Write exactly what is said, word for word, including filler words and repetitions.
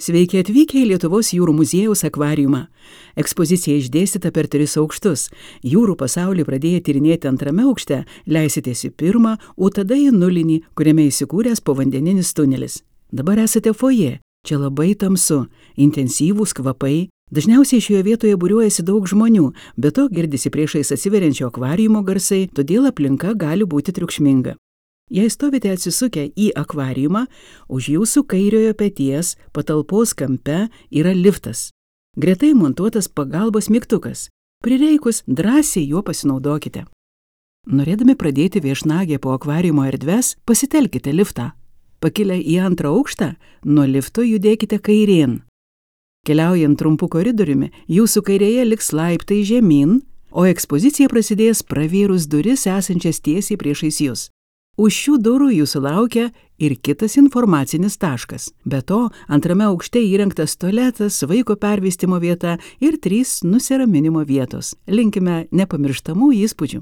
Sveiki atvykę į Lietuvos jūrų muziejaus akvariumą. Ekspozicija išdėstyta per tris aukštus. Jūrų pasaulį pradėję tyrinėti antrame aukšte, leisitės į pirmą, o tada į nulinį, kuriame įsikūręs povandeninis tunelis. Dabar esate foje. Čia labai tamsu, intensyvūs kvapai. Dažniausiai šioje vietoje būriuojasi daug žmonių, be to girdisi priešais atsiveriančio akvariumo garsai, todėl aplinka gali būti triukšminga. Jei stovite atsisukę į akvariumą, už jūsų kairiojo peties patalpos kampe yra liftas. Gretai montuotas pagalbos mygtukas. Prireikus drąsiai juo pasinaudokite. Norėdami pradėti viešnagę po akvariumo erdves, pasitelkite liftą. Pakilę į antrą aukštą, nuo lifto judėkite kairėn. Keliaujant trumpu koridoriumi, jūsų kairėje liks laiptai žemyn, o ekspozicija prasidės pravėrus duris esančias tiesiai priešais jūs. Už šių durų jūsų laukia ir kitas informacinis taškas. Be to, antrame aukšte įrengtas tualetas, vaiko pervystymo vieta ir trys nusiraminimo vietos. Linkime nepamirštamų įspūdžių.